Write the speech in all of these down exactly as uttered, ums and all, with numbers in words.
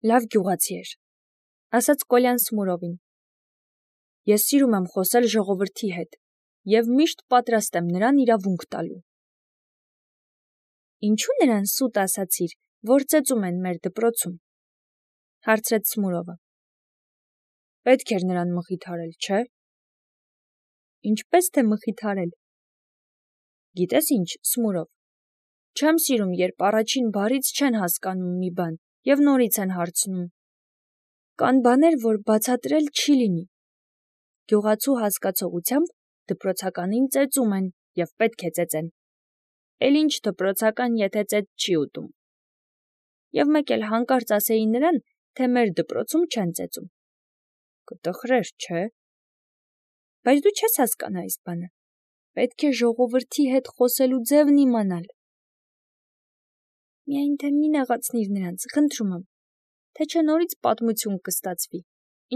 Լավ գյուղացի էր, ասաց Կոլյան Սմուրովին։ Ես սիրում եմ խոսել ժողովրդի հետ և միշտ պատրաստ եմ նրան իրավունք տալու։ Ինչու նրան սուտ ասացիր, որ ծեծում են մեր դպրոցում, հարցրեց Սմուրովը։ Պետք էր նրան մխիթարել, չէ՞։ Ինչպես թե մխիթարել։ Գիտես ինչ, Սմուրով, չեմ սիրում, երբ առաջին բառից չեն հասկանում մի բան և նորից են հարցնում։ Կան բաներ, որ բացատրել չի լինի։ Գյուղացու հասկացողությամբ դպրոցականին ծեծում են և պետք է ծեծեն։ Էլ ինչ դպրոցական, եթե ծեծ չի ուտում։ Եվ մեկ էլ հանկարծ ասեի նրան, թե մեր դպրոցում չեն ծեծում։ Կտխրեր, չէ՞։ Բայց դու չես հասկանա այս բանը։ Պետք է ժողովրդի հետ խոսելու ձևն իմանալ։ Միայն թե մի նեղացնիր նրանց, խնդրում եմ, թե չէ նորից պատմություն կստացվի,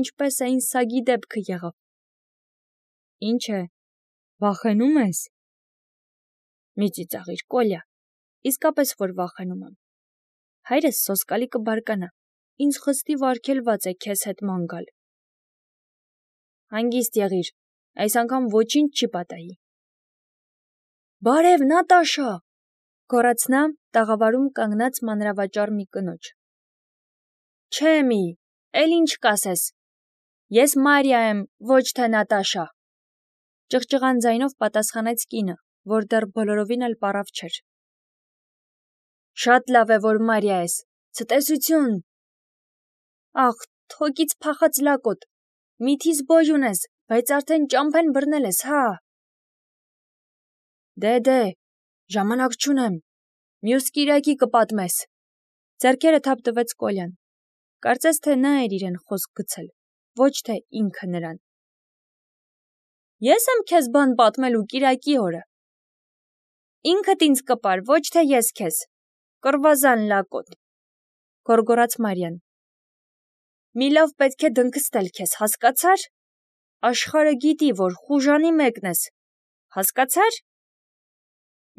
ինչպես այն սագի դեպքը եղավ։ Ինչ է, վախենում ես։ Մի ծիծաղիր, Կոլյա, իսկապես որ վախենում եմ։ Հայրս սոսկալի կբարկանա, ինձ խստի վարգելված է քեզ հետ ման գալ։ Հանգիստ եղիր, այս անգամ ոչինչ չի պատահի։ Բարև, Նատաշա, գոռաց նա տաղավարում կանգնած մանրավաճառ մի կնոջ։ Չէ մի, էլ ինչ կասես։ Ես Մարիա եմ, ոչ թե Նատաշա, ճղճղան ձայնով պատասխանեց կինը, որ դեռ բոլորովին էլ պառավ չէր։ Շատ լավ է, որ Մարիա ես, ցտեսություն։ Ախ, թոկից փախած լակոտ, միթիս բոժուն ես, բայց արդեն ճամփեն բռնել ես, հա։ Դե դե, ժամանակ չունեմ, մյուս կիրակի կպատմես։ Ձեռքերը թափ տվեց Կոլյան։ Կարծես թե նա էր իրեն խոսք գցել, ոչ թե ինքը նրան։ Ես եմ քեզ բան պատմելու կիրակի օրը։ Ինքդ ինձ կպար, ոչ թե ես քեզ։ Կռվազան լակոտ, գոռգոռաց Մարիան։ Մի լավ պետք է դնքստել քեզ, հասկացար։ Աշխարհը գիտի, որ խուժանի մեկն ես, հասկացար։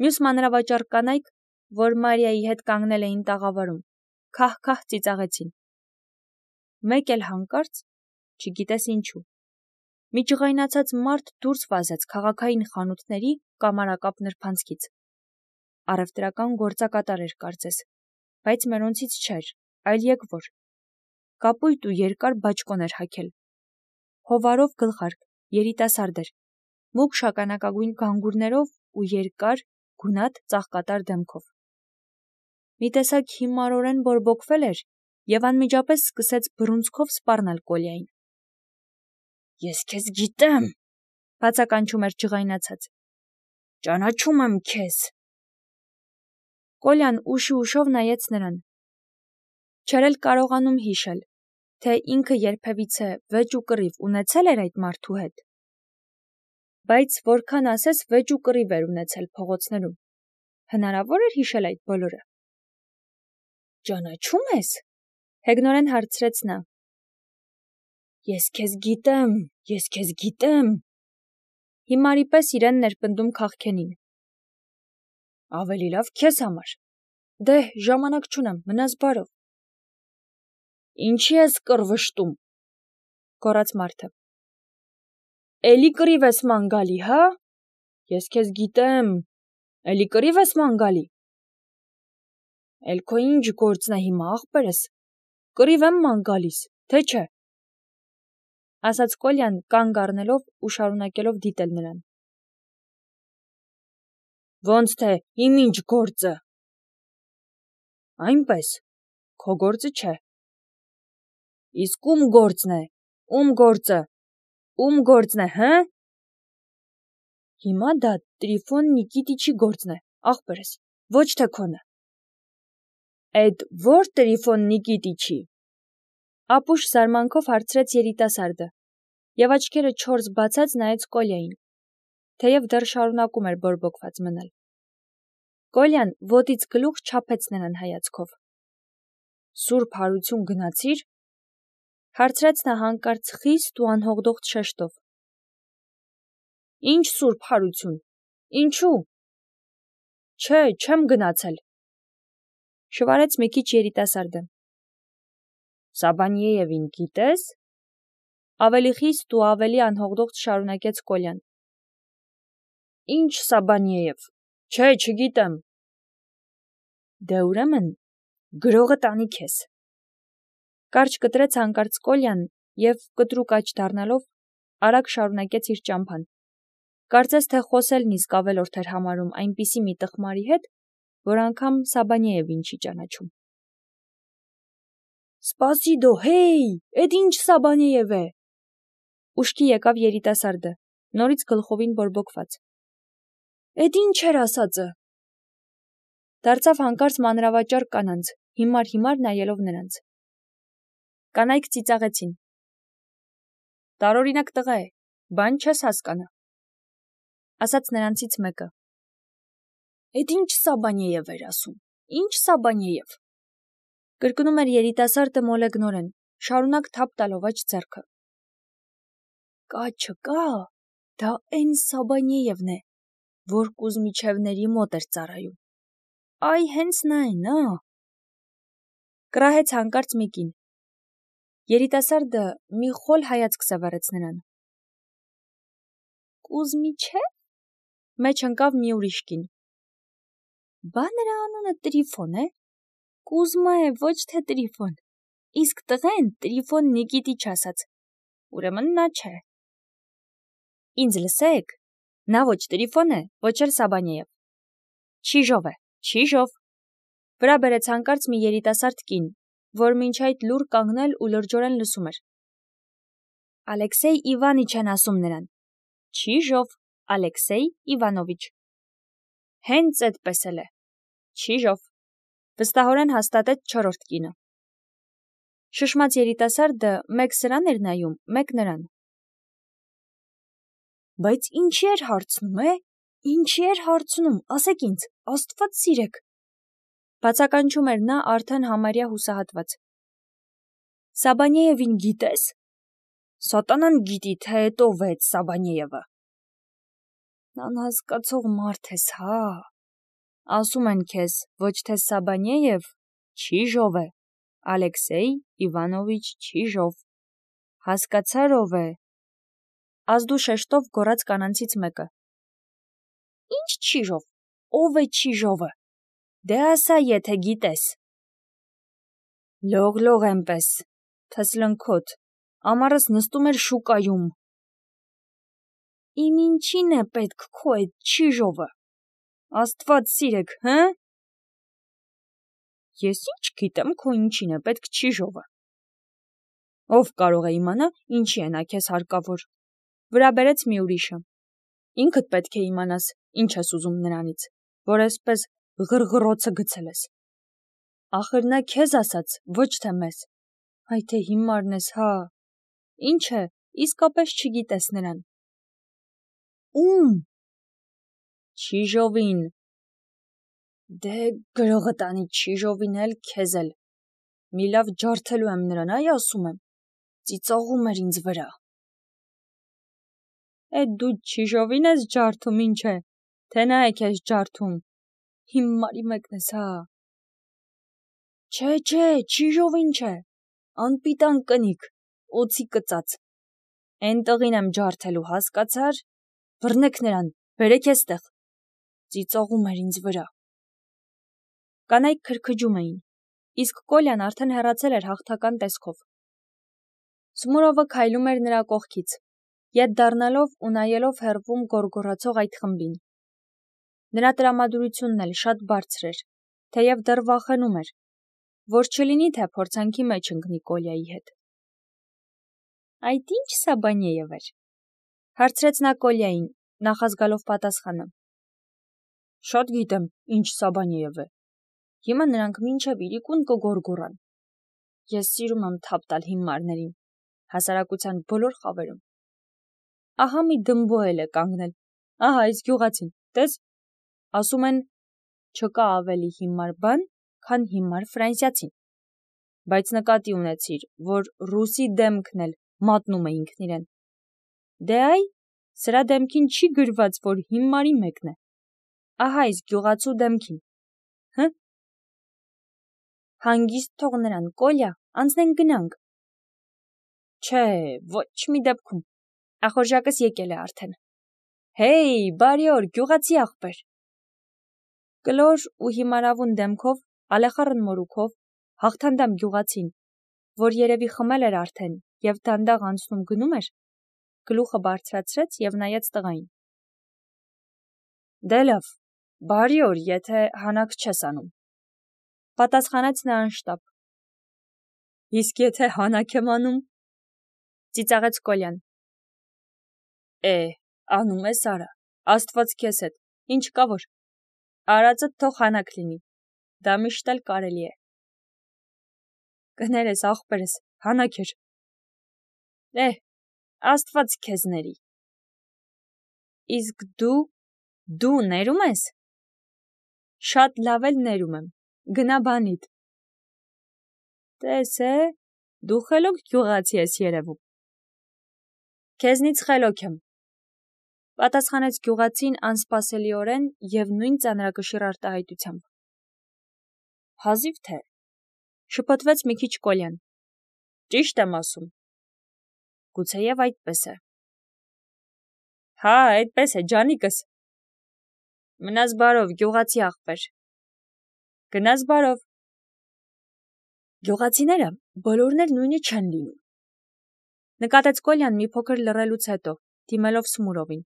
Մյուս մանրավաճառ կանայք, որ Մարիայի հետ կանգնել էին տաղավարում, քահ-քահ ծիծաղեցին։ Մեկ էլ հանկարծ, չգիտես ինչու, մի ջղայնացած մարդ դուրս վազեց քաղաքային խանութների կամարակապ նրբանցքից։ Առևտրական գործակատար էր կարծես, բայց մերոնցից չէր, այլ եկվոր։ Կապույտ ու երկար բաճկոն էր հագել։ Հովարով գլխարկ, երիտասարդ էր, մուգ շագանակագույն գանգուրներով ու երկար, գունատ ծաղկատար դեմքով։ Մի տեսակ հիմարորեն բորբոքվել էր և անմիջապես սկսեց բռունցքով սպառնալ Կոլյային։ Ես քեզ գիտեմ, բացականչում էր ջղայնացած։ Ճանաչում եմ քեզ։ Կոլյան ուշի ուշով նայեց նրան։ Չէր էլ կարողանում հիշել, թե ինքը երբևիցե վեճ ու կռիվ ունեցել էր այդ մարդու հետ։ Բայց որքան ասես վեճ ու կռիվ էր ունեցել փողոցներում։ Հնարավոր էր հիշել այդ բոլորը։ Ճանաչում ես, հեգնորեն հարցրեց նա։ Ես քեզ գիտեմ, ես քեզ գիտեմ։ Հիմարի պես իրեն ներպնդում քաղքենին։ Ավելի լավ քեզ համար։ Դե, ժամանակ չունեմ, մնաս բարով։ Ինչի ես կռվշտում, գոռաց մարդը։ Էլի կռիվ ես ման գալի, հա։ Ես քեզ գիտեմ, էլի կռիվ ես ման գալի։ Էլ քո ինչ գործն է հիմա, ախպերս, կռիվ եմ ման գալիս, թե չէ։ Ասաց Կոլյան կանգ առնելով ու շարունակելով դիտել նրան։ Ոնց թե իմ ինչ գործը։ Այնպես, քո գործը չէ։ Իսկ ում գործն է, ում գործը, ում գործն է, հը։ Հիմա դա Տրիֆոն Նիկիտիչի գործն է, ախպերս, ոչ թե քոնը։ Էդ ո՞ր Տրիֆոն Նիկիտիչի։ Ապուշ զարմանքով հարցրեց երիտասարդը, և աչքերը չորս բացած նայեց Կոլյային, թեև դեռ շարունակում էր բորբոքված մնալ։ Կոլյան ոտից գլուխ չափեց նրան հայացքով։ Սուրբ հարություն գնացի՞ր, հարցրեց նա հանկարծ խիստ ու անհողդողդ շեշտով։ Ինչ սուրբ հարություն, ինչու։ Չէ, չեմ գնացել, շվարեց մի քիչ երիտասարդը։ Սաբանիևին գիտես։ Ավելի խիստ ու ավելի անհողդողջ շարունակեց Կոլյան։ Ինչ Սաբանիև, չէ, չգիտեմ։ Դե ուրեմն գրողը տանի քեզ։ Կարճ կտրեց հանկարծ Կոլյան և կտրուկ աջ դառնալով արագ շարունակեց իր ճամփան։ Կարծես թե խոսելն իսկ ավելորդ էր համարում այնպիսի մի տխմարի հետ, որ անգամ Սաբանիևին չի ճանաչում։ Սպասիդո, հեյ, էդ ինչ Սաբանիև է։ Ուշքի եկավ երիտասարդը, նորից գլխովին բորբոքված։ Էդ ինչ էր ասածը։ Դարձավ հանկարծ մանրավաճառ կանանց, հիմար-հիմար նայելով նրանց։ Կանայք ծիծաղեցին։ Տարօրինակ տղա է, բան չես հասկանա, ասաց նրանցից մեկը։ Էդ ինչ Սաբանիև էր ասում, ինչ Սաբանիև։ Կրկնում էր երիտասարդը մոլեգնորեն, շարունակ թափ տալով աջ ձեռքը։ Կա չկա, դա էն Սաբանիևն է, որ Կուզմիչևների մոտ էր ծառայում։ Այ հենց նա է, նա։ Կռահեց հանկարծ մի կին։ Երիտասարդը մի խոլ հայացք սևեռեց նրան։ Կուզմիչև։ Մեջ ընկավ մի ուրիշ կին։ Բա նրա անունը Տրիֆոն է։ Կուզմա է, ոչ թե Տրիֆոն։ Իսկ տղեն Տրիֆոն Նիկիտիչ ասաց։ Ուրեմն նա չէ։ Ինձ լսեք, նա ոչ Տրիֆոն է, ոչ էլ Սաբանիև։ Չիժով է, Չիժով։ Վրա բերեց հանկարծ մի երիտասարդ կին, որ մինչ այդ լուռ կանգնել ու լրջորեն լսում էր։ Ալեքսեյ Իվանիչ են ասում նրան։ Չիժով, Ալեքսեյ Իվանովիչ։ Հենց այդպես էլ է։ Չիժով։ Վստահորեն հաստատեց չորրորդ կինը։ Շշմած երիտասարդը մեկ սրան էր նայում, մեկ նրան։ Բայց ինչի էր հարցնում, է։ Ինչի էր հարցնում, ասեք ինձ, Աստված սիրեք։ Բացականչում էր նա արդեն համարյա հուսահատված։ Սաբանիևին գիտես։ Սատանան գիտի, թե էդ ով է այդ Սաբանիևը։ Անհասկացող մարդ ես, հա։ Ասում են քեզ, ոչ թե Սաբանիև, Չիժով է, Ալեքսեյ Իվանովիչ Չիժով։ Հասկացար ով է։ Ազդու շեշտով գոռաց կանանցից մեկը։ Ինչ Չիժով, ով է Չիժովը։ Դե ասա, եթե գիտես։ Լող-լող էնպես, թսլնքոտ, ամառս նստում էր շուկայում։ Իմ ինչին է պետք քո այդ Չիժովը։ Աստված սիրեք, հը։ Ես ինչ գիտեմ, քո ինչին է պետք Չիժովը։ Ով կարող է իմանա, ինչի է նա քեզ հարկավոր։ Վրա բերեց մի ուրիշը։ Ինքդ պետք է իմանաս, ինչ ես ուզում նրանից, որ այսպես ղրղռոցը գցել ես։ Ախր նա քեզ ասաց, ոչ թե մեզ։ Այ թե հիմարն ես, հա։ Ինչ է, իսկապես չգիտես նրան։ Ում։ Չիժովին։ Դե գրողը տանի Չիժովին էլ, քեզ էլ։ Մի լավ ջարդելու եմ նրան, այ ասում եմ։ Ծիծաղում էր ինձ վրա։ Էդ դու Չիժովին ես ջարդում, ինչ է, թե նա է քեզ ջարդում։ Հիմարի մեկն ես, հա։ Չէ, չէ, Չիժովին չէ։ Անպիտան կնիկ, օձի կծած։ Էն տղին եմ ջարդելու, հասկացար։ Բռնեք նրան, բերեք էստեղ։ Ծիծաղում էր ինձ վրա։ Կանայք քրքջում էին, իսկ Կոլյան արդեն հեռացել էր հաղթական տեսքով։ Սմուրովը քայլում էր նրա կողքից, ետ դառնալով ու նայելով հեռվում գոռգոռացող այդ խմբին։ Նրա տրամադրությունն էլ շատ բարձր էր, թեև դեռ վախենում էր, որ չլինի, թե փորձանքի մեջ ընկնի Կոլյայի հետ։ Այդ ինչ Սաբանիև էր, հարցրեց նա Կոլյային, նախազգալով պատասխանը։ Շատ գիտեմ, ինչ Սաբանիև է։ Հիմա նրանք մինչև իրիկուն կգոռգոռան։ Ես սիրում եմ թափ տալ հիմարներին, հասարակության բոլոր խավերում։ Ահա մի դմբո էլ է կանգնել։ Ահա այս գյուղացին, տես, ասում են, չկա ավելի հիմար բան, քան հիմար ֆրանսիացին։ Բայց նկատի ունեցիր, որ ռուսի դեմքն էլ մատնում է ինքն իրեն։ Դե այ, սրա դեմքին չի գրված, որ հիմարի մեկն է։ Ահա այս գյուղացու դեմքին։ Հը։ Հանգիստ թող նրան, Կոլյա, անցնենք գնանք։ Չէ, ոչ մի դեպքում, ախորժակս եկել է արդեն։ Հեյ, բարի օր, գյուղացի աղբեր։ Կլոր ու հիմարավուն դեմքով, ալեխառն մորուքով, հաղթանդամ գյուղացին, որ երևի խմել էր արդեն և դանդաղ անցնում գնում էր, գլուխը բարձրացրեց և նայեց տղային։ Դե լավ, բարի օր, եթե հանաք չես անում, պատասխանեց նա անշտապ։ Իսկ եթե հանաք եմ անում, ծիծաղեց Կոլյան։ Է, անում ես արա, Աստված քեզ հետ, ինչ կա որ, արածդ թող հանաք լինի, դա միշտ էլ կարելի է։ Կներես աղբերս, հանաք էր։ Է, Աստված քեզ ների։ Իսկ դու, դու ներում ես։ Շատ լավ էլ ներում եմ, գնա բանիդ։ Տես է, դու խելոք գյուղացի ես երևում։ Քեզնից խելոք եմ, պատասխանեց գյուղացին անսպասելիորեն և նույն ծանրակշիռ արտահայտությամբ։ Հազիվ թե, շփոթվեց մի քիչ Կոլյան։ Ճիշտ եմ ասում։ Գուցեև այդպես է։ Հա, այդպես է, ջանիկս։ Մնաս բարով, գյուղացի աղբեր։ Գնաս բարով։ Գյուղացիները բոլորն էլ նույնը չեն լինում։ Նկատեց Կոլյան մի փոքր լռելուց հետո, դիմելով Սմուրովին։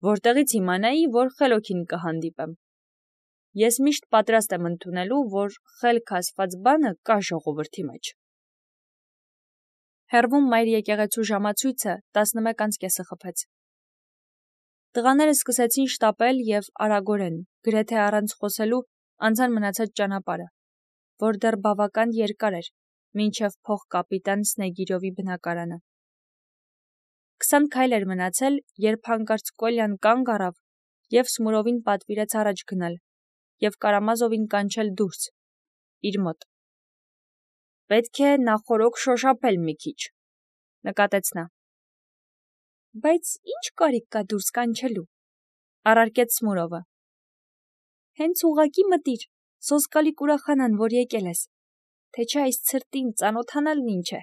Որտեղից իմանայի, որ խելոքին կհանդիպեմ։ Ես միշտ պատրաստ եմ ընդունելու, որ խելք ասված բանը կա ժողովրդի մեջ։ Հեռվում մայր եկեղեցու ժամացույցը տասնմեկ անց կեսը խփեց։ Տղաները սկսեցին շտապել և արագորեն, գրեթե առանց խոսելու, անցան մնացած ճանապարհը, որ դեռ բավական երկար էր, մինչև փոխկապիտան Սնեգիրովի բնակարանը։ Քսան քայլ էր մնացել, երբ հանկարծ Կոլյան կանգ առավ և Սմուրովին պատվիրեց առաջ գնալ և Կարամազովին կանչել դուրս, իր մոտ։ Պետք է նախօրոք շոշափել մի քիչ, նկատեց նա։ Բայց ինչ կարիք կա դուրս կանչելու, առարկեց Սմուրովը։ Հենց ուղղակի մտիր, սոսկալի կուրախանան, որ եկել ես, թե չէ այս ցրտին ծանոթանալն ինչ է։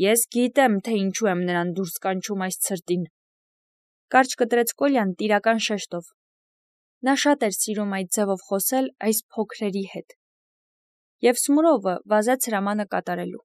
Ես գիտեմ, թե ինչու եմ նրան դուրս կանչում այս ցրտին, կարճ կտրեց Կոլյան տիրական շեշտով։ Նա շատ էր սիրում այդ ձևով խոսել այս փոքրերի հետ։ Եվ Սմուրովը վազեց հրամանը կատարելու։